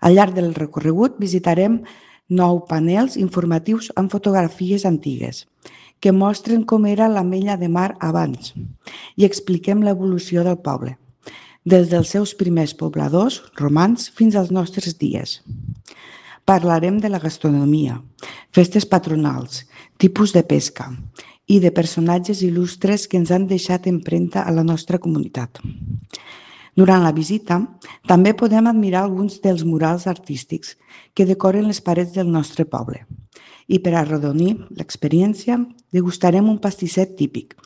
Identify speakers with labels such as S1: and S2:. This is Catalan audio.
S1: Al llarg del recorregut visitarem 9 panels informatius amb fotografies antigues que mostren com era l'Ametlla de Mar abans i expliquem l'evolució del poble, des dels seus primers pobladors romans fins als nostres dies. Parlarem de la gastronomia, festes patronals, tipus de pesca i de personatges il·lustres que ens han deixat empremta a la nostra comunitat. Durant la visita, també podem admirar alguns dels murals artístics que decoren les parets del nostre poble. I per arrodonir l'experiència, degustarem un pastisset típic,